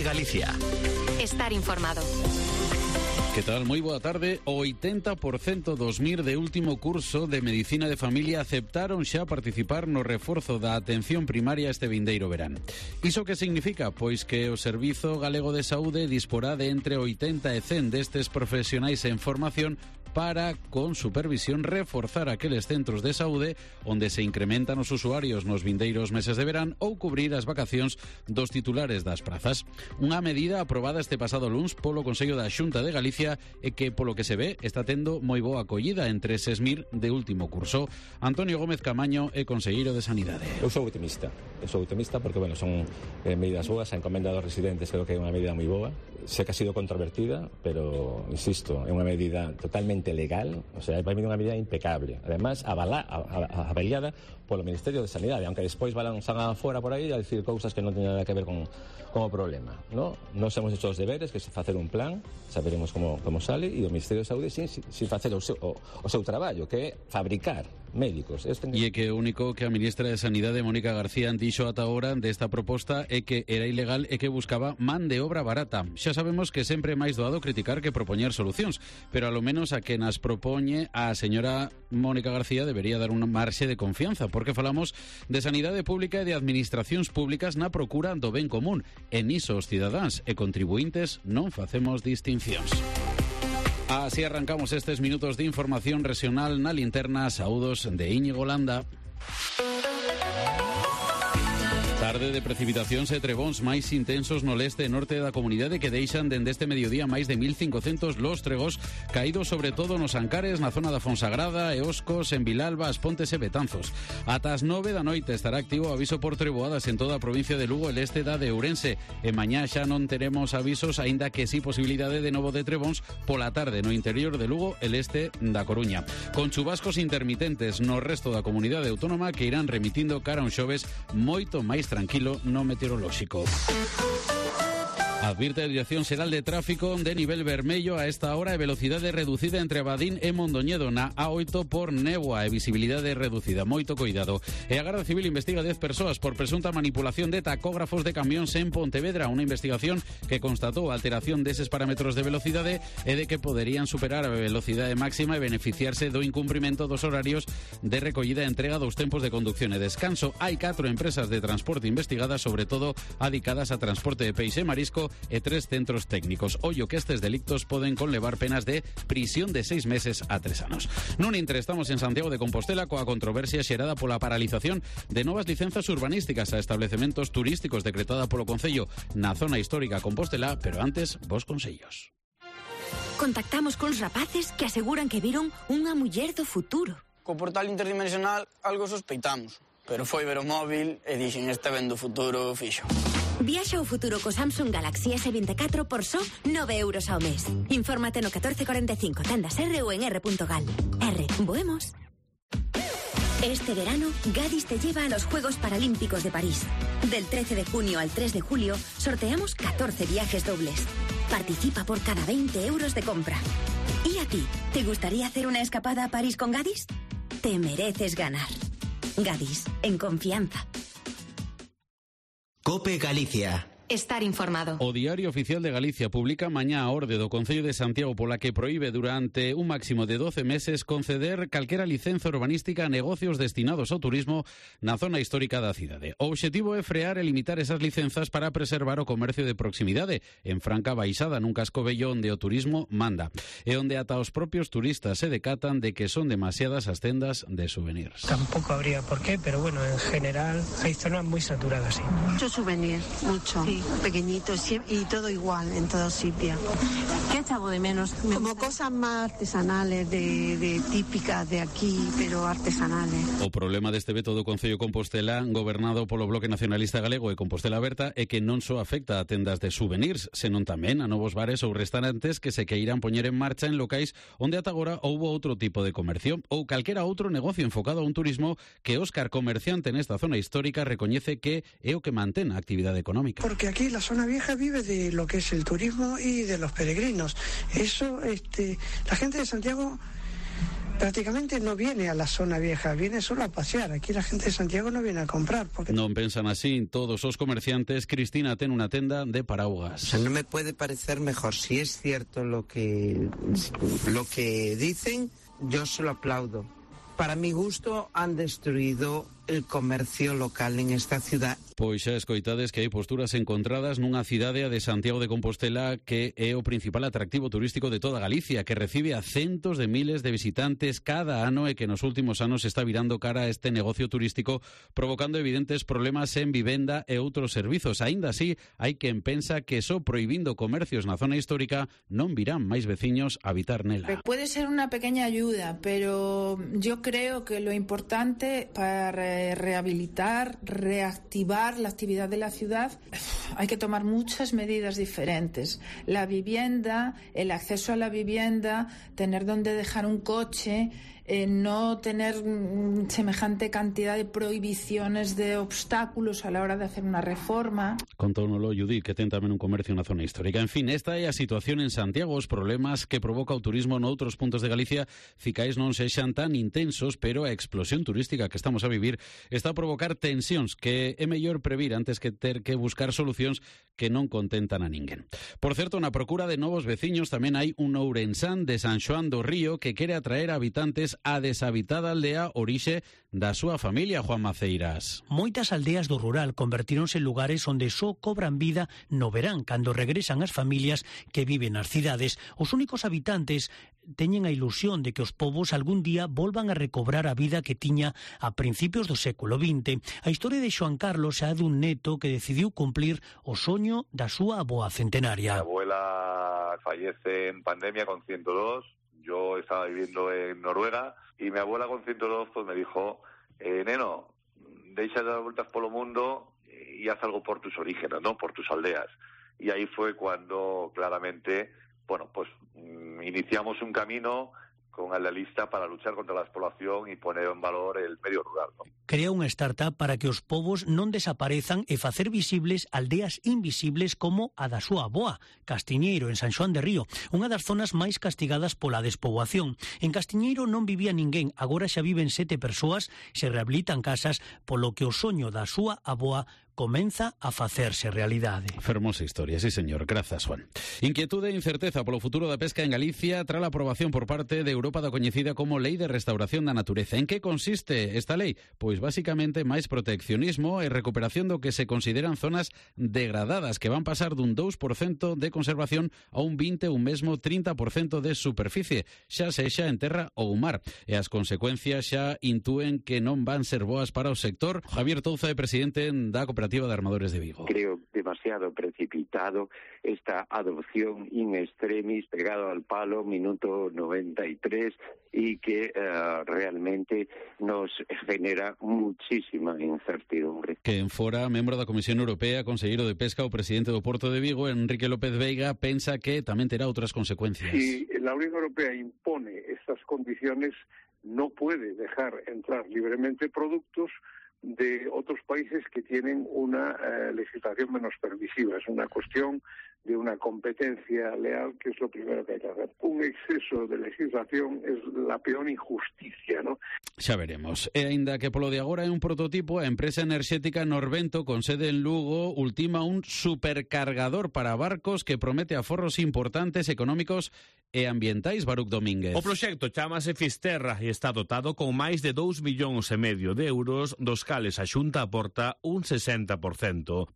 Cope Galicia. Estar informado. Que tal? Moi boa tarde. O 80% dos MIR de último curso de Medicina de Familia aceptaron xa participar no reforzo da atención primaria este vindeiro verán. Iso que significa? Pois que o Servizo Galego de Saúde disporá de entre 80 e 100 destes profesionais en formación para, con supervisión, reforzar aqueles centros de saúde onde se incrementan os usuarios nos vindeiros meses de verán ou cubrir as vacacións dos titulares das prazas. Unha medida aprobada este pasado luns polo Consello da Xunta de Galicia e que, polo que se ve, está tendo moi boa acollida entre eses MIR de último curso. Antonio Gómez Camaño é conselleiro de Sanidade. Eu sou optimista porque, bueno, son medidas boas, a encomenda dos residentes creo que é unha medida moi boa. Sé que ha sido controvertida, pero, insisto, é unha medida totalmente legal, o sea, vai vir unha medida impecable. Además, avaliada polo Ministerio de Sanidade, aunque despois van fora por aí a decir cousas que non teñen nada que ver con o problema, ¿no? Nos hemos hecho os deberes, que é facer un plan, saberemos como sale, e o Ministerio de Saúde sin facer o seu traballo, que é fabricar médicos. E é Contactamos con rapaces que aseguran que viron unha muller do futuro. Co portal interdimensional algo sospeitamos, pero foi ver o móvil e dixen este ven do futuro fixo. Viaxa ao futuro co Samsung Galaxy S24 por só 9 euros ao mes. Infórmate no 1445, tendas R ou en r.gal. R, voemos. Este verano, Gadis te lleva a los Juegos Paralímpicos de París. Del 13 de junio al 3 de julio, sorteamos 14 viajes dobles. Participa por cada 20 euros de compra. ¿Y a ti? ¿Te gustaría hacer una escapada a París con Gadis? Te mereces ganar. Gadis, en confianza. Cope Galicia. Estar informado. O Diario Oficial de Galicia publica mañá a orde do Concello de Santiago pola que proíbe durante un máximo de 12 meses conceder calquera licenza urbanística a negocios destinados ao turismo na zona histórica da cidade. O obxectivo é frear e limitar esas licenzas para preservar o comercio de proximidade en franca baixada nun casco bello onde o turismo manda e onde ata os propios turistas se decatan de que son demasiadas as tendas de souvenirs. Tampoco habría por qué, pero bueno, en general hay zonas muy saturadas, sí. Mucho souvenir, mucho. Sí. Pequeñitos y todo igual en todo sitio. ¿Qué echaba de menos? Como cosas más artesanales, de típicas de aquí, pero artesanales. O problema deste veto do Concello Compostela, gobernado polo Bloque Nacionalista Galego e Compostela Aberta, é que non só afecta a tendas de souvenirs, senón tamén a novos bares ou restaurantes que se queiran poñer en marcha en locais onde ata agora houbo outro tipo de comercio ou calquera outro negocio enfocado a un turismo que Óscar, comerciante nesta zona histórica, recoñece que é o que mantén a actividade económica. Porque aquí la zona vieja vive de lo que es el turismo y de los peregrinos. Eso, la gente de Santiago prácticamente no viene a la zona vieja, viene solo a pasear. Aquí la gente de Santiago no viene a comprar. Porque... Non pensan así todos os comerciantes. Cristina ten unha tenda de paraugas. O sea, no me puede parecer mejor. Si es cierto lo que dicen, yo se lo aplaudo. Para mi gusto han destruido el comercio local en esta ciudad. Pois xa escoitades que hai posturas encontradas nunha cidade, a de Santiago de Compostela, que é o principal atractivo turístico de toda Galicia, que recibe a centos de miles de visitantes cada ano e que nos últimos anos está virando cara a este negocio turístico, provocando evidentes problemas en vivenda e outros servizos. Aínda así, hai quen pensa que só prohibindo comercios na zona histórica non virán máis veciños a habitar nela. Puede ser una pequeña ayuda, pero yo creo que lo importante para rehabilitar, reactivar la actividad de la ciudad, hay que tomar muchas medidas diferentes. La vivienda, el acceso a la vivienda, tener donde dejar un coche, no tener semejante cantidad de prohibiciones, de obstáculos a la hora de hacer una reforma. Contónolo Judí, que ten tamén un comercio na zona histórica. En fin, esta é a situación en Santiago, os problemas que provoca o turismo noutros puntos de Galicia, ficais non sexan tan intensos, pero a explosión turística que estamos a vivir está a provocar tensións que é mellor previr antes que ter que buscar solucións que non contentan a ninguén. Por certo, na procura de novos veciños tamén hai un ourensán de San Xoán do Río que quere atraer a habitantes a deshabitada aldea orixe da súa familia, Juan Maceiras. Moitas aldeas do rural convertíronse en lugares onde só cobran vida no verán, cando regresan as familias que viven nas cidades. Os únicos habitantes teñen a ilusión de que os povos algún día volvan a recobrar a vida que tiña a principios do século XX. A historia de Xoan Carlos é a dun neto que decidiu cumplir o soño da súa avoa centenaria. Mi abuela fallece en pandemia con 102. Yo estaba viviendo en Noruega y mi abuela con 102 pues me dijo, neno, deixa de dar vueltas por el mundo y haz algo por tus orígenes, ¿no? Por tus aldeas. Y ahí fue cuando claramente, bueno, pues iniciamos un camino con la lista para luchar contra la despoblación y poner en valor el medio rural, ¿no? Crea unha startup para que os povos non desaparezan e facer visibles aldeas invisibles como a da súa avoa, Castiñeiro, en San Xoán de Río, unha das zonas máis castigadas pola despoboación. En Castiñeiro non vivía ninguén, agora xa viven 7 persoas, se rehabilitan casas, polo que o soño da súa avoa comeza a facerse realidade. Fermosa historia, sí señor, grazas Juan. Inquietude e incerteza polo futuro da pesca en Galicia tras a aprobación por parte de Europa da coñecida como Lei de Restauración da Natureza. En que consiste esta lei? Pois basicamente máis proteccionismo e recuperación do que se consideran zonas degradadas, que van pasar dun 2% de conservación a un 20 ou mesmo 30% de superficie, xa sexa en terra ou mar. E as consecuencias xa intúen que non van ser boas para o sector. Javier Touza é presidente da Cooperativa de Armadores de Vigo. Creo demasiado precipitado esta adopción in extremis, pegado al palo, minuto 93, y que realmente nos genera muchísima incertidumbre. Que en fora, membro da Comisión Europea, conselleiro de Pesca, o presidente do Porto de Vigo, Enrique López Veiga, pensa que tamén terá outras consecuencias. Si la Unión Europea impone estas condiciones, no puede dejar entrar libremente productos de otros países que tienen una legislación menos permisiva. Es una cuestión de una competencia leal, que es lo primero que hay que hacer. Un exceso de legislación es la peor injusticia, ¿no? Xa veremos. E aínda que polo de agora é un prototipo, a empresa enerxética Norvento, con sede en Lugo, ultima un supercargador para barcos que promete aforros importantes económicos e ambientais, Baruch Domínguez. O proxecto chamase Fisterra e está dotado con máis de 2,5 millóns de euros, dos cales a Xunta aporta un 60%.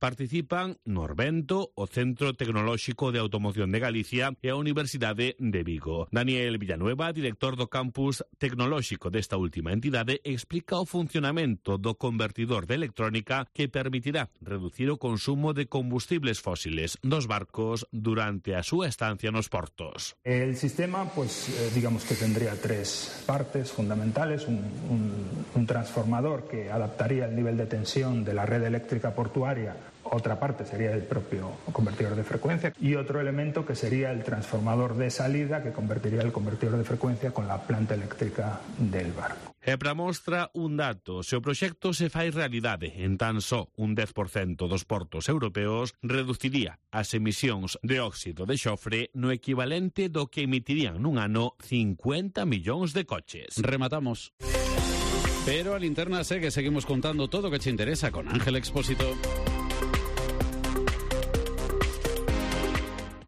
Participan Norvento, o Centro Tecnolóxico de Automoción de Galicia e a Universidade de Vigo. Daniel Villanueva, director do campus tecnolóxico desta última entidade, explica o funcionamento do convertidor de electrónica que permitirá reducir o consumo de combustibles fósiles dos barcos durante a súa estancia nos portos. El sistema, pues digamos que tendría 3 partes fundamentales, un transformador que adaptaría el nivel de tensión de la red eléctrica portuaria otra parte sería el propio convertidor de frecuencia y otro elemento que sería el transformador de salida que convertiría el convertidor de frecuencia con la planta eléctrica del barco. E para mostra un dato, se o proxecto se fai realidade en tan só un 10% dos portos europeos, reduciría as emisións de óxido de xofre no equivalente do que emitirían nun ano 50 millóns de coches. Rematamos. Pero a linterna segue, seguimos contando todo o que te interesa con Ángel Expósito.